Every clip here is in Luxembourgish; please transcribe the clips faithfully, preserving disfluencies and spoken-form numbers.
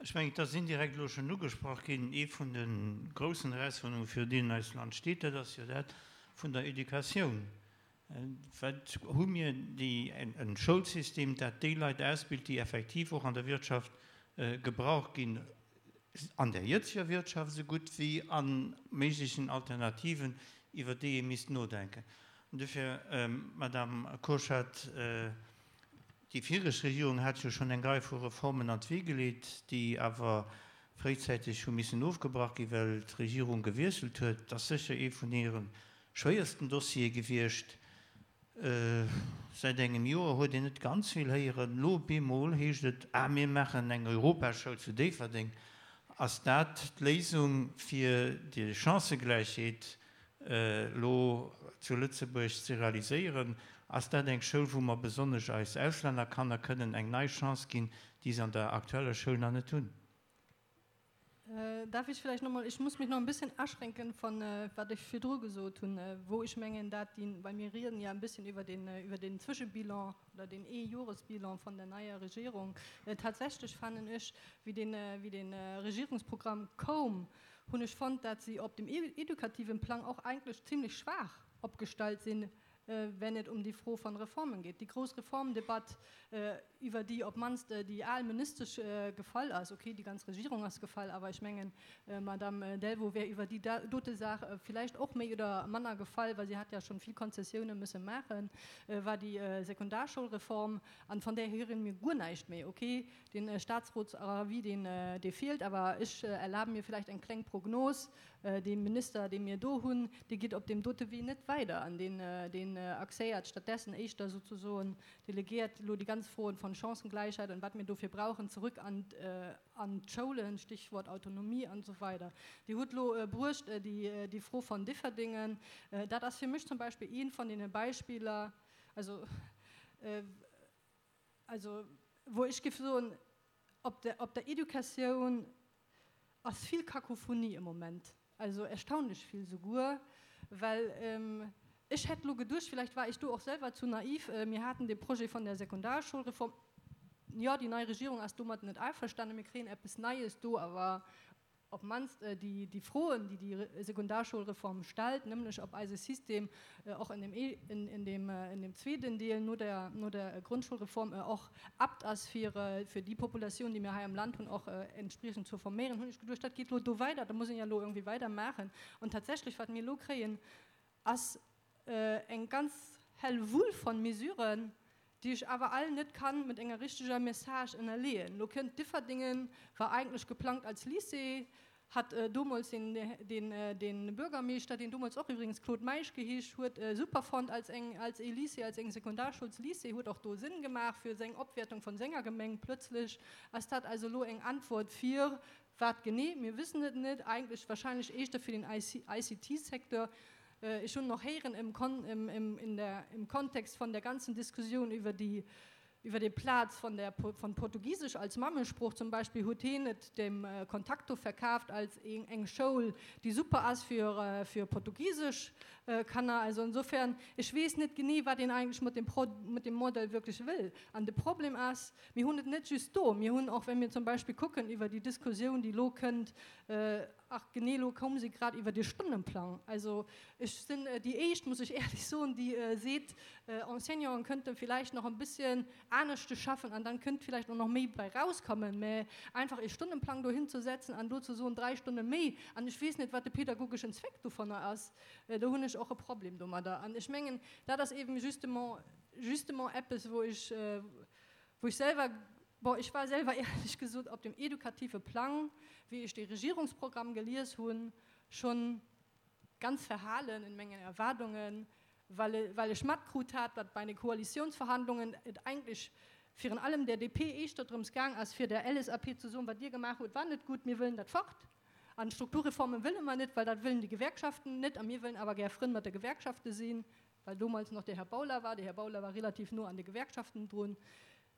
Ech mengen, et ass indirekt elo schonn ugesprach ginn, ee vun de groussen Erausforderungen, virun deenen eist Land steet, dat ass jo dat vun der Educatioun. Wat hu mir déi, e Schoulsystem, dat déi Leit ausbilt, déi effektiv och an der Wirtschaft gebraucht ginn, an der jëtzeger Wirtschaft esou gutt wéi a méiglechen Alternativen, iwwer déi ee misst nodenken. An dofir, Madame Kurschat, déi viregt Regierung hat jo schonn eng Rei vu Reformen an d'Wee geleet, déi awer fréizäiteg hu missen ofgebrach ginn, well d'Regierung gewiesselt huet. Et ass sécher ee vun hire schwéiersten Dossiere gewiescht. Säit engem Joer huet een net ganz vill héieren. Elo op eemol heescht et, Ah, mir maachen eng Europaschoul zu Déifferdeng. Ass dat d'Léisung, fir déi Chancëgläichheet elo zu Lëtzebuerg ze realiséieren? Ass dat eng Schoul, wou mer besonnesch eis Auslännerkanner kënnen eng nei Chance ginn, déi se an der aktueller Schoul nach net hunn? Darf ich vielleicht noch mal, ich muss mich noch ein bisschen aschränken von wat ech virdru gesot hunn, wou ech mengen, dat déi, well mir rieden ja ein bisschen über den, über den Zwischebilan oder den Ee-Jores-Bilan von der neier Regierung. Tatsächlech fannen ech, wéi den, wéi den Regierungsprogramm koum, hunn ech fonnt, dat si op dem edukativen Plang och eigentlech zimmlech schwaach opgestallt sinn, wenn et um déi Fro von Reformen geet. Déi grouss Reformdebatt, iwwer déi op d'mannst déi al Ministesch gefall ass, okay, déi ganz Regierung ass gefall, awer ech mengen, Madame Delvaux wär iwwer déi dote Saach villäicht och méi oder manner gefall, well si hat ja schonn vill Konzessiounen müsse maachen, war déi Sekundarschoulreform, an von där héiere mir guer näischt méi. Okay, den Staatsrotsavis, deen, dee feelt, awer ech erlabe mir villäicht eng kleng Prognos, Dee Minister, dee mir do hunn, dee geet op deem dote Wee net weider an deen, deen axéiert stattdessen éischter souzesoen, delegiert elo déi ganz Froen von Chancengleichheit an wat mir dofir brauchen zerück an, an d'Schoulen, Stichwort Autonomie an esou weider. Dir hutt elo bruecht déi, déi Fro von Differdingen. Dat ass fir mech zum Beispill eent von deene Beispiller, also, also wou ech géif soen, op der, op der Educatioun ass vill Kakophonie am Moment, also erstaunlech vill souguer, well ech hätt elo geduecht, vielleicht war ich do och selwer zu naiv, mir haten dee Projet von der Sekundarschulreform, jo, déi nei Regierung ass domat net einverstanden, mir kréien eppes Neies do, awer op d'mannst déi Froen, déi déi Sekundarschulreform stellt, nämlech ob eise System och in dem, in dem, in dem zweeten Deel no der, no der Grundschulreform och apt ass fir, fir déi Populatioun, déi mir hei am Land hunn, och entspriechend ze forméieren, hunn ech geduecht, dat geet elo do weider, da muss een jo elo irgendwie weidermaachen. An tatsächlech, wat mir elo kréien, ass eng ganz Hellwull von Mesuren, déi ech awer all net kann mat enger richteger Message ënnerleeën. Lo kënnt Differdingen, war eigentlech geplangt als Lycée, hat domols den, den, den Bürgermeeschter, deen domols och iwwregens Claude Meisch geheescht huet, super fonnt als eng, als ee Lycée, als eng Sekundarschulslycée, huet och do Sënn gemaach fir seng Opwäertung von senger Gemeng. Plötzlech ass dat also lo eng Antwort fir wat genee? Mir wëssen et net, eigentlech wahrscheinlech éischter fir den I C T-Secteur. Ech hunn och héieren im, im, im, in der, im Kontext von der ganzen Diskussion über die, über den Platz von, der, von Portugiesisch als Mammesprooch zum Beispiel, huet hien et dem Contacto verkaaft als eng, eng Schoul, déi super ass fir, fir portugiesesch Kanner. Also insofern, ech weess net genee, wat een eigentlech mat dem Pro, mat dem Modell wierklech wëll. An de Problem ass, mir hunn et net just do, mir hunn och, wenn mir zum Beispill kucken iwwer déi Diskussioun, déi elo kënnt, ach genee, elo koum se grad iwwer de Stonnenplang. Also ech sinn déi Éischt, muss ech éierlech soen, déi seet, Enseignanten könnten vielleicht noch ein bisschen aneschte schaffen an dann kënnt vielleicht och nach méi bei rauskommen, mä einfach ee Stonnenplang dohin ze setzen an do ze soen, dräi Stonne méi an ech weess net, wat de pädagogeschen Zweck dovunner ass, do hunn ech och e Problem domadder. An ech mengen, dat ass eben justement, justement eppes, wou ech, wou ech selwer, bon, ech war selwer éierlech gesot op dem edukative Plang, wéi ech dee Regierungsprogramm gelies hunn, schonn ganz verhalen in mengen Erwaardungen, well, well ech matkrut hat, datt bei de Koalitionsverhandlungen et eigentlech virun allem der D P éischter drëms gaang ass, fir der L S A P ze soen, wat Dir gemaach hutt, war net gutt, mir wëllen dat fort. An Strukturreformen wëlle mer net, well dat wëllen déi Gewerkschaften net, a mir wëllen awer gär Frënn mat de Gewerkschafte sinn, well domols nach de Här Bauler war. De Här Bauler war relativ no an de Gewerkschaften drun.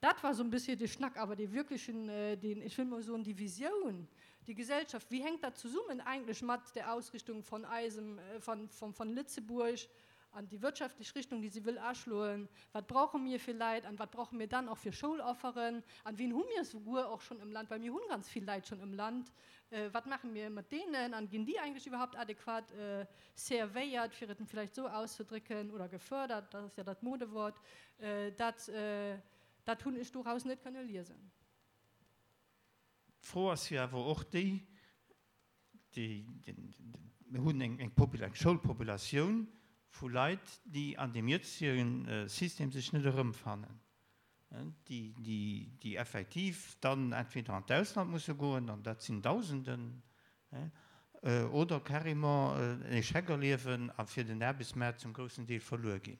Dat war so ein bisschen de Schnack, awer dee wirklechen, den, ech wëll mol soen, déi Visioun, déi Gesellschaft, wéi hänkt dat zesummen eigentlech mat der Ausrichtung von eisem, von, von, von Lëtzebuerg an déi wirtschaftlech Richtung, déi si wëll aschloen, wat brauche mir fir Leit an wat brauche mir dann och fir Schoulofferen an wien hu mir souguer och schonn am Land, well mir hunn ganz vill Leit schonn am Land, wat maache mir mat deenen an ginn déi eigentlech iwwerhaupt adequat servéiert, fir et vläicht esou auszedrécken, oder gefördert, dat ass jo dat Modewort, dat dat hunn ech doraus net kënne liesen. D'Fro ass jo awer och déi, déi, mir hunn eng eng Schoulpopulatioun vu Leit, déi an deem jëtzege System sech net erëmfannen, déi, déi, déi effektiv dann entweder an d'Ausland musse goen, an dat sinn Dausenden, oder carrément en Échec erliewen a fir den Aarbechtsmaart zum groussen Deel verluer ginn.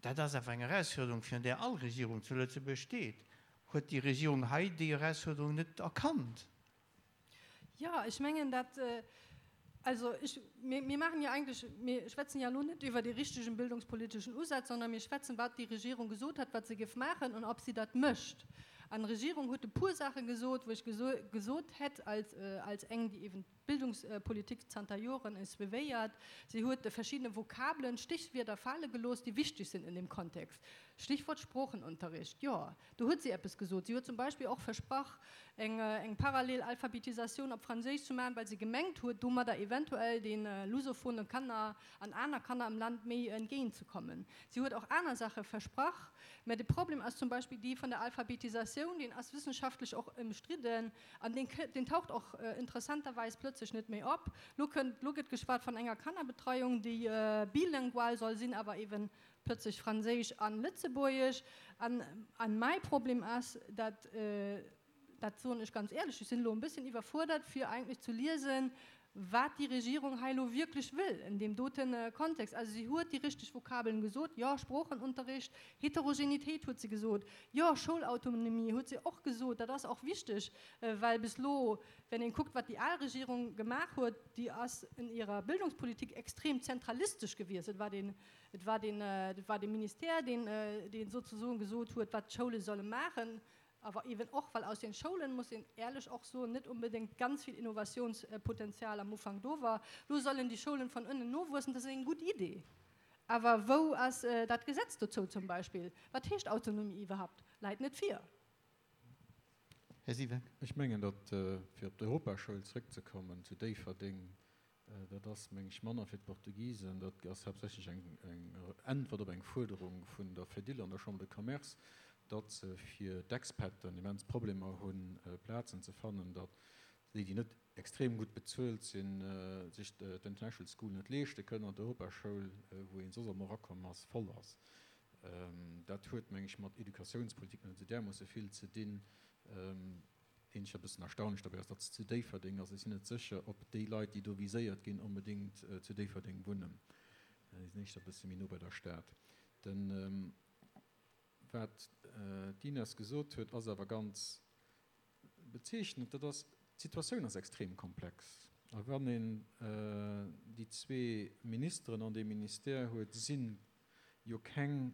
Dat ass awer eng Erausfuerderung, virun där all Regierung zu Lëtzebuerg steet. Huet déi Regierung hei déi Erausfuerderung net erkannt? Jo, ech mengen dat, also ech, mir, mir maachen jo eigentlech, mir schwätzen jo elo net iwwer dee richtegen bildungspoliteschen Usaz, sondern mir schwätzen, wat déi Regierung gesot hat, wat se géif maachen an ob si dat mécht. An d'Regierung huet e puer Saache gesot, wou ech gesot hätt als, als eng, déi eben d'Bildungspolitik zanter Joren suivéiert, si huet verschiddene Vokabelen, Stichwierder fale gelooss, déi wichteg sinn in dem Kontext. Stichwort Sproochenunterricht, jo, do huet si eppes gesot. Si huet zum Beispill och versprach, eng, eng parallel Alphabetisatioun op Franséisch ze maachen, well si gemengt huet, domadder eventuell de lusophone Kanner an aner Kanner am Land méi entgéintzekommen. Si huet och aner Saache versprach, mä de Problem ass zum Beispill dee vun der Alphabetisatioun, deen ass wëssenschaftlech och ëmstridden an deen, deen taucht och interessanterweis plötzlech net méi op. Lo kënnt, lo gëtt geschwat vun enger Kannerbetreiung, déi bilingual soll sinn, awer eben plötzlech Franséisch an Lëtzebuergesch. An, an mäi Problem ass, dat, dat soen ech ganz éierlech, ech sinn elo e bësschen iwwerfuerdert, fir eigentlech ze liesen, wat déi Regierung hei elo wierklech wëll in deem doten Kontext. Also si huet déi richteg Vokabeln gesot, jo, Sproochenunterricht, Heterogenitéit huet se gesot, jo, Schoulautonomie huet se och gesot, dat ass och wichteg, well bis elo, wenn een kuckt, wat déi al Regierung gemaach huet, déi ass in ihrer Bildungspolitik extrem zentralistesch gewiescht. Et war den, et war den, et war de Ministère, deen, deen sozusagen gesot huet, wat d'Schoule solle maachen. Awer eben och, well aus den Schoulen, muss een éierlech och soen, net unbedéngt ganz vill Innovationspotenzial am Ufank do war. Lo sollen déi Schoulen von ënnen nowuessen, dat ass eng gutt Idee. Awer wou ass dat Gesetz dozou zum Beispill? Wat heescht Autonomie iwwerhaupt? Läit net vir. Här Siweck. Ech mengen, datt, fir op d'Europaschoul zrëckzekommen zu Déifferdeng, dat ass, meng ech, manner fir d'Portugisen, dat ass haaptsächlech eng Äntwert op eng Fuerderung vun der Fedil an der Chambre de Commerce, datt se fir d'Expaten immens Problemer hunn, Plazen ze fannen, datt déi, déi net extrem gutt bezuelt sinn, sech d'International School net leeschte kënnen an d'Europaschoul, wou een soss ëmmer erakomm ass, voll ass. Dat huet, meng ech, mat Educatiounspolitik net esou därmoosse vill ze dinn. Eenzeg e bëssen erstaunlech dobäi ass, datt se zu Déifferdeng ass. Ech sinn net sécher, ob déi Leit, déi do viséiert ginn, onbedéngt zu Déifferdeng wunnen. Déi sinn éischter e bësse méi no bei der Stad. Den, wat d'Ines gesot huet, ass awer ganz bezeechnend. Dat ass, d'Situatioun ass extrem komplex. A wann een déi zwee Ministeren an deem Ministère huet, si jo keng,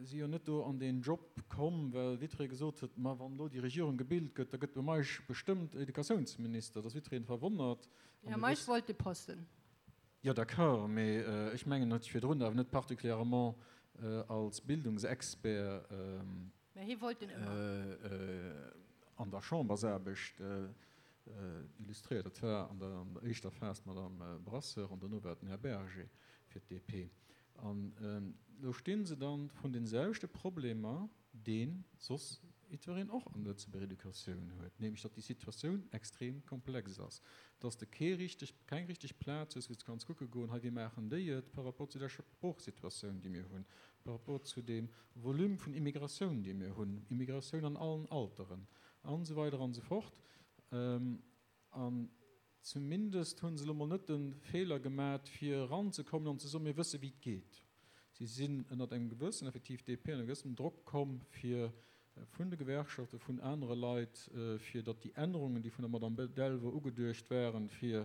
si jo net do an deen Job komm, well jiddweree gesot huet, ma wann elo déi Regierung gebilt gëtt, da gëtt de Meisch bestëmmt Educatiounsminister. Da ass jiddweree verwonnert. Jo, Meisch wollt de Posten. Jo, d'accord, mee ech mengen, en huet sech virdrun awer net particulièrement als Bildungsexpert Mä hie wollt en ëmmer. an der Chambersaarbecht illustréiert. Dat war an der éischter Phas d'Madame Brasseur an dono war et den Här Berger fir d'D P. An elo sti se dann vrun deene selwechte Problemer, dee soss jiddwereen och an der Lëtzebuerger Educatioun huet, nämlech datt déi Situatioun extrem komplex ass, datt s de kee richteg, keng richteg Plaz hues, wou s de kanns kucke goen, hei wéi maachen déi et par rapport zu der Sproochsituatioun, déi mir hunn, par rapport zu deem Volume vun Immigratioun, dee mir hunn, Immigratioun an allen Alteren an esou weider an esou fort. An zumindest hu se elo mol net de Feeler gemat, fir eranzekommen an ze soen, mir wësse wéi et geet. Si sinn ënnert engem gewëssen, effektiv D P, ënner gewëssem Drock komm, fir vun de Gewerkschaften, vun anere Leit, fir datt déi Ännerungen, déi vun der Madame Delvaux ugeduecht waren, fir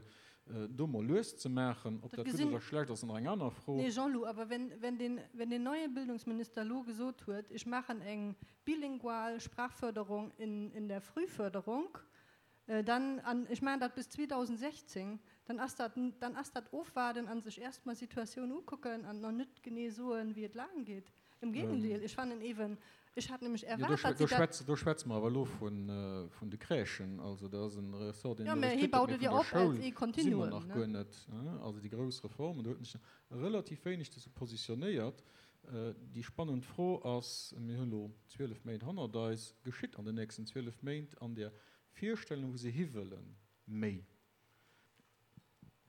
do mol lues ze maachen. Ob dat gutt oder schlecht ass, ass nach eng aner Fro. Nee, Jean-Lou, awer wenn den neie Bildungsminister elo gesot huet, ech maachen eng bilingual Sprachförderung in der Frühförderung, Dann, an ech maachen dat bis zweedausendsechzéng, dann ass dat, dann ass dat Ofwaarden a sech erst mol d'Situatioun ukucken an nach net genee soen, wéi et laang geet. Im Gegendeel, ech fannen eben, ech hat nämlech erwaart, datt si dat. Do schwätze mer awer elo vun de Crèchen, also dat ass e Ressort, deen elo richteg gëtt, mee vun der Schoul si mer nach guer net. Also déi grouss Reformen, do huet en sech relativ wéineg dozou positionéiert. Déi spannend Fro ass, mir hunn elo zwielef Méint hannert eis, geschitt an den nächsten zwielef Méint an där Virstellung, wou se hiwëllen, méi?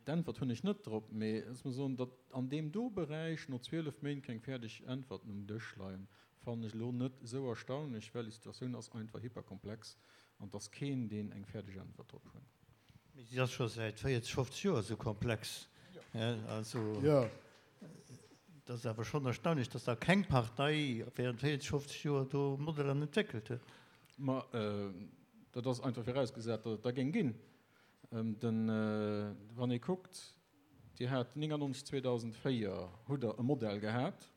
D'Äntwert hunn ech net drop, mee ech muss soen, datt an deem do Beräich no zwielef Méint keng fäerdeg Äntwerten um Dësch leien, fannen ech elo net esou erstaunlech, well déi Situatioun ass einfach hyperkomplex an et ass keen, deen eng fäerdeg Äntwert drop huet. Mee si ass scho säit véierzeg, fofzeg Joer esou komplex. Also et ass awer schonn erstaunlech, datt da keng Partei während véierzeg, fofzeg Joer do Modeller entwéckelt huet. Ma dat ass einfach virausgesat, datt et der géing ginn. Den, wann ee kuckt, Dir hat néngannonzeg, zweedausendvéier hutt Der e Modell gehat,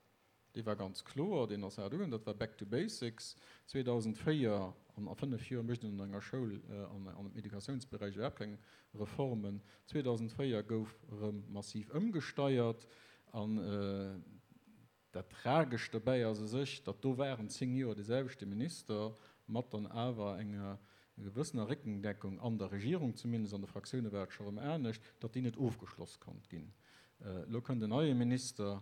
dee war ganz kloer, deen ass haart ugaangen, dat war Back to Basics. zweedausendvéier, an a fënnef Joer mécht een an enger Schoul an am Educatiounsberäich iwwerhaapt keng Reformen, zweedausendvéier gouf erëm massiv ëmgesteiert an Dat Tragescht dobäi ass u sech, datt do waren zéng Joer dee selwechte Minister mat dann awer enger gewëssener Réckendeckung an der Regierung, zumindest an de Fraktioune war et scho rëm anescht, datt déi net ofgeschloss konnt ginn. Elo kënnt en neie Minister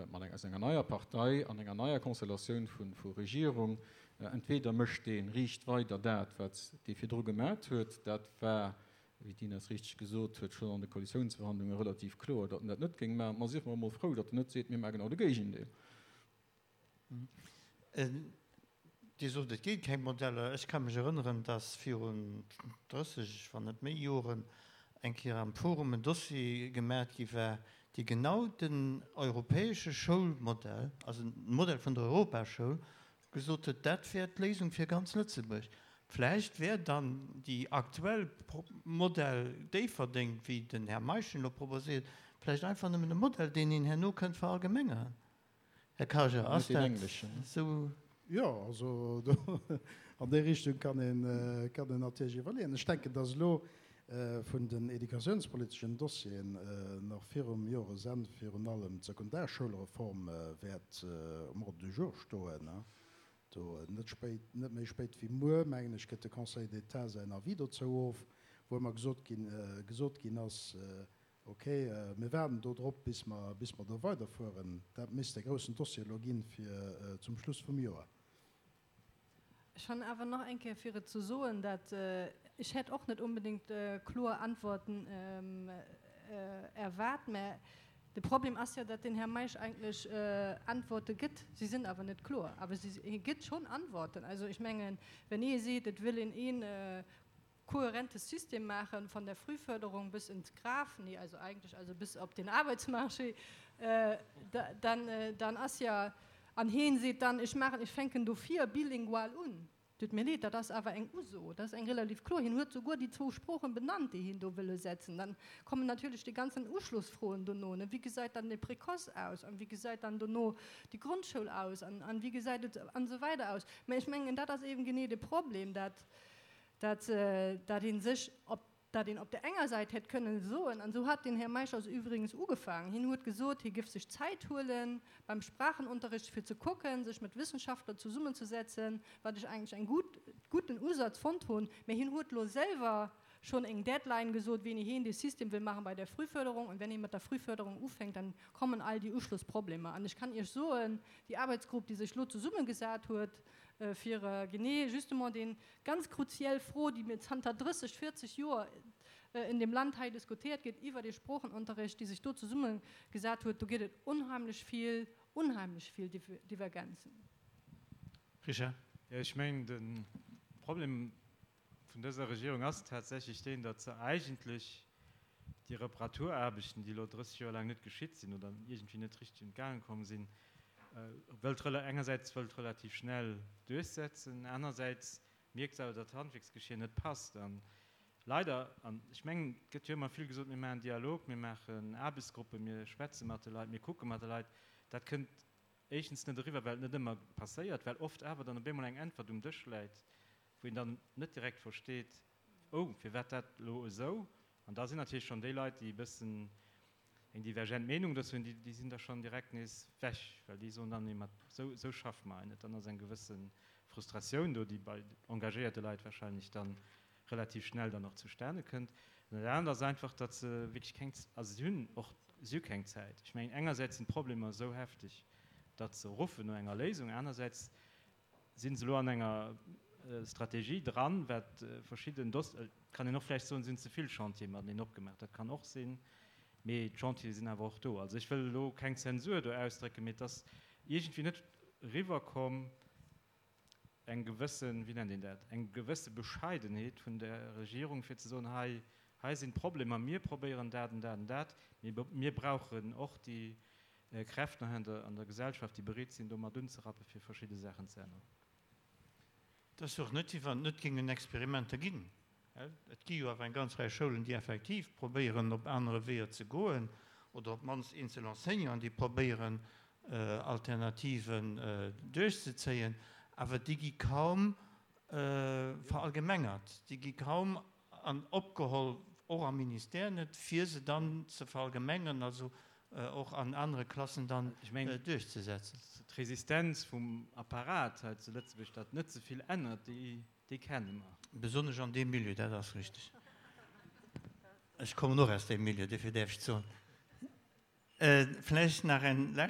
mat enger, aus enger neier Partei an enger neier Konstellatioun vu Regierung. Entweder mécht dee riicht weider dat, wat dee virdru gemat huet, dat war wéi d'Ines richteg gesot huet, schonn an de Koalitiounsverhandlunge relativ kloer, datt en dat net géing maachen. Ma sief mer emol frou, datt en net seet, mir maache genau de Géigendeel. Dir sot, et gétt keng Modeller. Ech ka mech erënneren, datt virun drësseg, wann net méi Joren eng Kéier am Forum en Dossier gemaach gi war, dee genau den europäesche Schoulmodell, also de Modell vun der Europaschoul, gesot huet, dat wär d'Léisung fir ganz Lëtzebuerg. Vläicht wär dann déi aktuell Modell Déifferdeng, wéi den Här Meisch en elo proposéiert, vläicht einfach nëmmen e Modell, deen een herno kënnt verallgemengeren. Här Karger, ass dat esou? Jo, also do an déi Richtung kann een, kann een natierlech iwwerleeën. Ech denken, dass elo vun den educatiounspoliteschen Dossieren nach virum Joresenn virun allem d'Sekundarschoulreform wäert um Ordre du jour stoen. Do net spéit, net méi spéit wéi muer, mengen ech, gëtt de Conseil d'État säin Avis dozou of, wou ëmmer gesot ginn, gesot ginn ass, ok, mir waarden do drop, bis mer, bis mer do weiderfueren. Dat misst de groussen Dossier elo ginn fir zum Schluss vum Joer. Ech han awer nach eng Kéier fir et ze soen, dat ech hätt och net unbedéngt kloer Antworten erwaart, mä De Problem ass jo, datt den Här Meisch eigentlech Antworte gëtt. Si sinn awer net kloer, awer si, hie gëtt schonn Antworten. Also ech mengen, wenn ee seet, et wëll een een kohärentes System maachen, von der Frühförderung bis ins Graf, nee, also eigentlech also bis op den Arbeitsmarché, dann, dann ass ja, an hien seet dann, ech maachen, ech fänken dofir bilingual un. Tut mir leed, dat ass awer eng Uso, dat ass eng relativ kloer. Hien huet souguer déi zwou Sproochen benannt, déi hien do wëll usetzen. Dann kommen natierlech déi ganzen Uschlossfroen dono, ne, Wéi gesäit dann de Précoce aus an wéi gesäit dann dono déi Grondschoul aus an, an wéi gesäit et an esou weider aus. Mä ech mengen, dat ass eben genee de Problem, dat, dat, dat ee sech op dat een op der enger Säit hätt kënnen soen, an esou hat den Här Meisch also übrigens ugefaangen, hien huet gesot, hie géif sech Zäit huele beim Sprachenunterricht, fir ze kucken, sech mat Wissenschaftler zesummenzesetzen, wat ech eigentlech eng gutt, guten Usaz fonnt hunn, mä hien huet elo selwer schonn eng Deadline gesot, wéini hien dee System wëll maachen bei der Frühförderung, und wenn ee mat der Frühförderung ufänkt, dann kommen all déi Uschlussproblemer. An ech kann Iech soen, déi Arbeitsgrupp, déi sech elo zesummegesat huet, fir genee justement déi ganz kruziell Fro, déi mir zanter drësseg, véierzeg Joer in dem Land hei diskutéiert gëtt iwwer de Sproochenunterricht, déi sech do zesummegesat huet, do gëtt et unheimlech vill, unheimlech vill Divergenzen. Richard. Jo, ech mengen, de Problem vun dëser Regierung ass tatsächlech deen, datt se eigentlech déi Reparaturaarbechten, déi elo drësseg Joer laang net geschitt sinn oder iergendwéi net richteg un d'Gaange komm sinn, wëllt engersäits wëllt relativ schnell duerchsetzen, anersäits mierkt se awer, datt d'Handwierksgeschier net passt. A leider, an ech mengen, et gëtt jo ëmmer vill gesot, mir maachen Dialog, mir maachen Aarbechtsgruppen, mir schwätze mat de Leit, mir kucke mat de Leit, dat kënnt éischtens net eriwwer, well et net ëmmer passéiert, well oft awer dann op eemol eng Äntwert um Dësch läit, wou een dann net direkt versteet, Oh, firwat dat elo esou? An da sinn natierlech schonn déi Leit, déi e bëssen eng divergent Meenung dozou hunn, déi, déi sinn da schonn direkt nees weg, well déi soen dann, Nee, ma esou, esou schaffe mer hei net. Dann ass eng gewësse Frustratioun do, déi bei engagéierte Leit wahrscheinlech dann relativ schnell dann och zustane kënnt. An dat anert ass einfach, datt se wierklech keng, also si hunn och, si hu keng Zäit. Ech mengen, engersäits sinn d'Problemer esou hefteg, datt se ruffen no enger Léisung, anersäits si se elo an enger Strategie dran, wat verschidden Doss, et kann een och vläicht soen, sinn ze vill Chantiere mateneen opgemaach, dat kann och sinn, mee d'Chantiere sinn awer och do. Also ech wëll elo keng Zensur do ausdrécken, mee et ass iergendwéi net eriwwerkomm, eng gewëssen, wéi nennt een dat, eng gewësse Bescheidenheet vun der Regierung, fir ze soen, hei, hei sinn d'Problemer, mir probéieren dat an dat an dat, mee mir brauchen och déi Kräften hei an der, an der Gesellschaft, déi bereet sinn, do mat unzerappen, fir verschidde Saachen ze änneren. Et ass jo och net, wéi wann et net géingen Experimenter ginn. Et gi jo awer eng ganz Rei Schoulen, déi effektiv probéieren, op anere Weeër ze goen, oder op d'mannst eenzel Enseignanten, déi probéieren, Alternativen duerchzezéien, awer déi gi kaum verallgemengert, déi gi kaum opgeholl, och am Ministère net, fir se dann ze verallgemengeren, also och an anere Klassen dann duerchzesetzen. D'Resistenz vum Apparat hei zu Lëtzebuerg, datt net ze vill ännert, déi kenne mer. Besonnesch an deem Milieu, dat ass richteg. Ech kommen och aus deem Milieu, dofir däerf ech et soen. Vläicht nach eng lescht.